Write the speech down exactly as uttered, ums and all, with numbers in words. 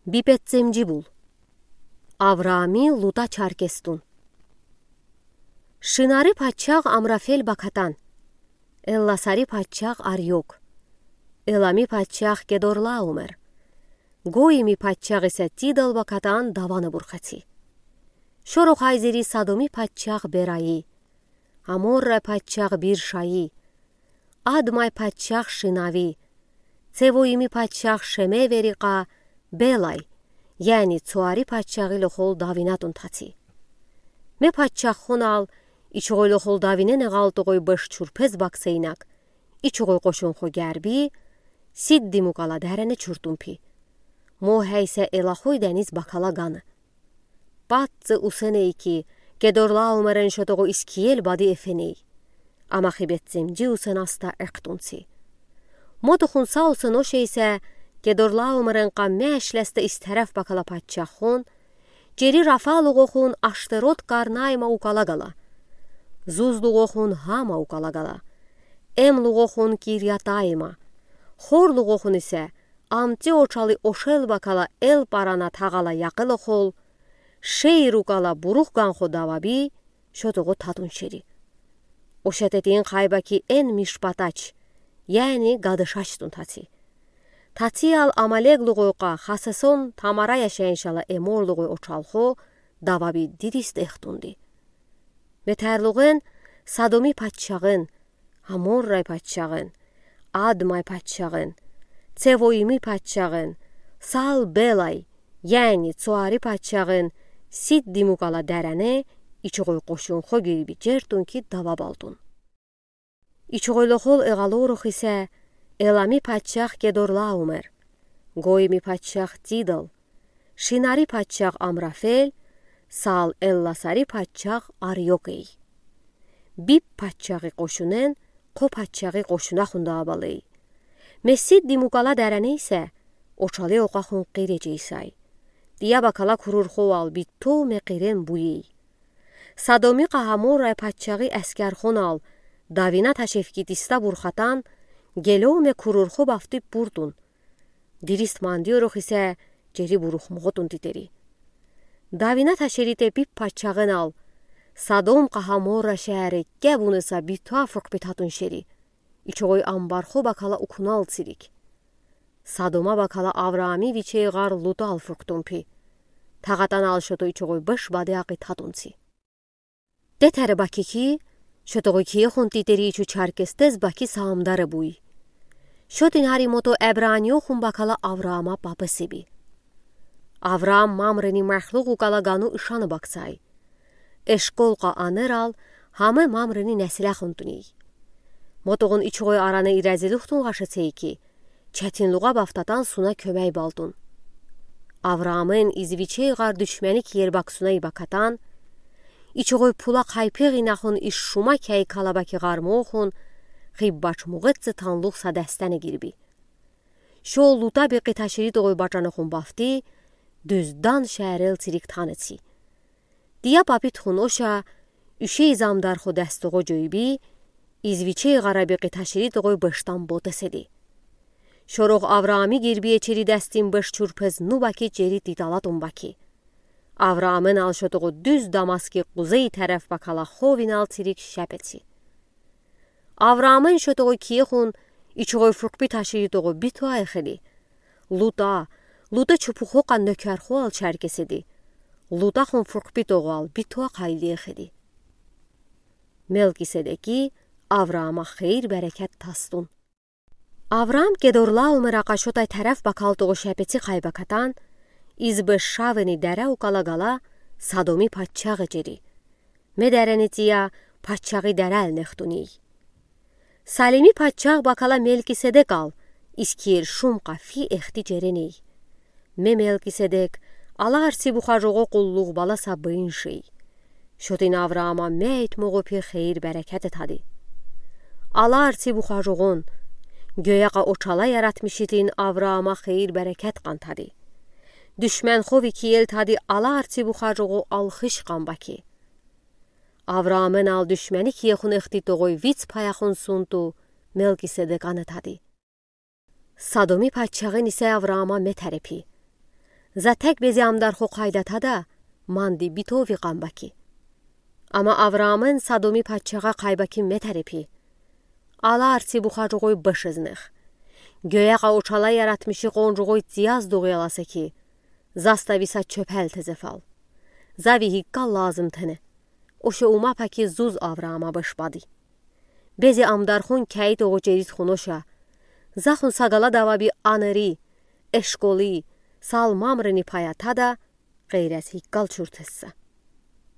Бипеццемджи бул. Авраами Лута чаркестун. Шинари паччағ Амрафел бакатан, Элласари паччағ Арьёк, Элами паччағ Кедорлаомер, Гойими паччағ иса Тидал бакатан давана бурхаци. Шорох айзери Содоми паччағ Бераи, Аморрай паччағ Биршаи, Адмай паччағ Шинави, Цевоими паччағ Шемевери ка Белай, яни Цоари паччағи лохол давинатун таци. Ме паччахунал ичугой лохол давинене галдугой беш чурпез баксейнак, ичугой къошунхо герби Сиддим укала дерени чуртун пи. Мо хейсе Элахой дениз бакала гана. Патци усеней ки, Кедорлаомерен шотого Искиел бади эфеней. Ама хи беццемджи усен аста эктунци. Мо тухун са усен ошейсе, Кедорлаомерен ка мешлесте истереф бакала паччахун, чери Рафа лугохун Аштерот Карнаима укала гала. Зуз лугохун Хама укала гала. Эм лугохун Кирьятаима. Хор лугохун исе, амти очали ошел бакала Эл Парана тагала якъыл охол, Шейр укала бурух ганхо даваби, шотого татун шери. Ошатетин хайбаки эн Мишпатач, яни гадашачтун таци. Тациал Амалег лугой ка Хасесон Тамара яшайын шала Эмор лугой очалхо даваби дидис дехтунди. Метерлуген Содоми паччагын, Аморрай паччагын, Адмай паччагын, Цевоими паччагын, сал Белай, яни Цоари паччагын, Сиддим укала дерени ичугой къошунхо гирби чертун ки дава балтун. Ичугой лохол эгалорох исе Элами паччаг Кедорлаумер, Гойми паччаг Тидал, Шинари паччаг Амрафел, сал Элласари паччаг Арьёкей. Биб паччагы къошунен, къо паччагы къошунахун даа балей. Ме Сиддим укала дерени исе, очали окъахун къире чейсай. Тия бакала курурхоал битто ме къирен буей. Содоми ка Аморрай паччагы эскерхунал, давина ташеф ки диста бурхатан, гелё ме курурхо бафтиб бурдун. Дирис мандиорох исе чери бурух могъутун титери. Давина ташери те биб паччагынал, Содом ка Аморра шеери кебуныса битуа фуркъби татун шери. Ичугой амбархо бакала укунал цирик. Содома бакала Авраами вичей гъар Лутал фуркътун пи. Тагатанал шото ичугой беш бади акъи татунци. Тетери баки ки, шотогъу киехун титери ичу чаркестез баки саамдаре буй. Шотин ари мото эбраниохун бакала Авраама папа себи. Авраам Мамрени мехлугъ укала гану ишаны бакцай. Эшкол ка анерал, Хаме Мамрени несилехун туней. Мотогъун ичугой аране ирезилухтун гъашецей ки, четинлугъа бафтатан суна кёмей балтун. Авраамын из вичей гъар душмени киер баксунай бакатан, ичугой пула хайпи гъинахун из шума кей калабаки гъармохун, хиббач мугъетци танлух са дестене гирби. Шо Лута бекъи таширидогъой бачанахун бафти, дуьз Дан шеерел цирик танеци. Тия папи тухун оша, уьше из амдархо дестогъо жойби, из вичей гъара бекъи таширидогъой бештан ботеседи. Шорох Авраами гирбие чери дестин беш чурпез ну баки чери титалатун баки. Авраамын ал шотогъу дуьз Дамаски къузей тереф бакала ховинал цирик шепеци. Авраамын шотогъу киехун, ичугой фуркъби таширидогъу битуа эхеди. Лута, Лута чупухо ка нёкерхоал чаркеседи. Лутахун фуркъбитогъуал битуа къайли эхеди. Мелкиседеки Авраама хейир-берекет тастун. Авраам Кедорлаумера ка шотай тереф бакалтогъу шепеци хайбакатан, из беш шавени дере укала гала Содоми паччагъ эчери. Ме дерени тия паччагъи дерел нехтуней. Салими паччагъ бакала Мелкиседекал, Искиел шум ка фи эхти череней. Ме Мелкиседек, алар ци бухажогъо къуллугъ бала са быйыншей. Шотин Авраама мейтмогъу пи хейир-берекет этади. Алар ци бухажогъун, гёя ка очала яратмишитин Авраама хейир-берекет къантади. Душмен хови киел тади алар ци бухажогъу алхыш къан баки. Авраамын ал душмени киехун эхтитогъой виц паяхун сунту Мелкиседекан этади. Содоми паччагъын исе Авраама ме терепи. За тек бези амдархо къайдатада, манди битовик амба ки. Ама Авраамын Содоми пачагъа къайба ки метарипи. Аларци бухар жугъой быш изнех. Гёякъа учала яратмиши къон жугъой цияз дугъ яласа ки, застави са чёпел тезе фал. За ви гиккал лазым тэне. Уше ума паки зуз Авраама быш бади. Бези амдархон кяй тогъу чериз хуноша. Захун са галад аваби анери, эшколи, салмамрини пая тада, гъейрез гиккал чуртысса.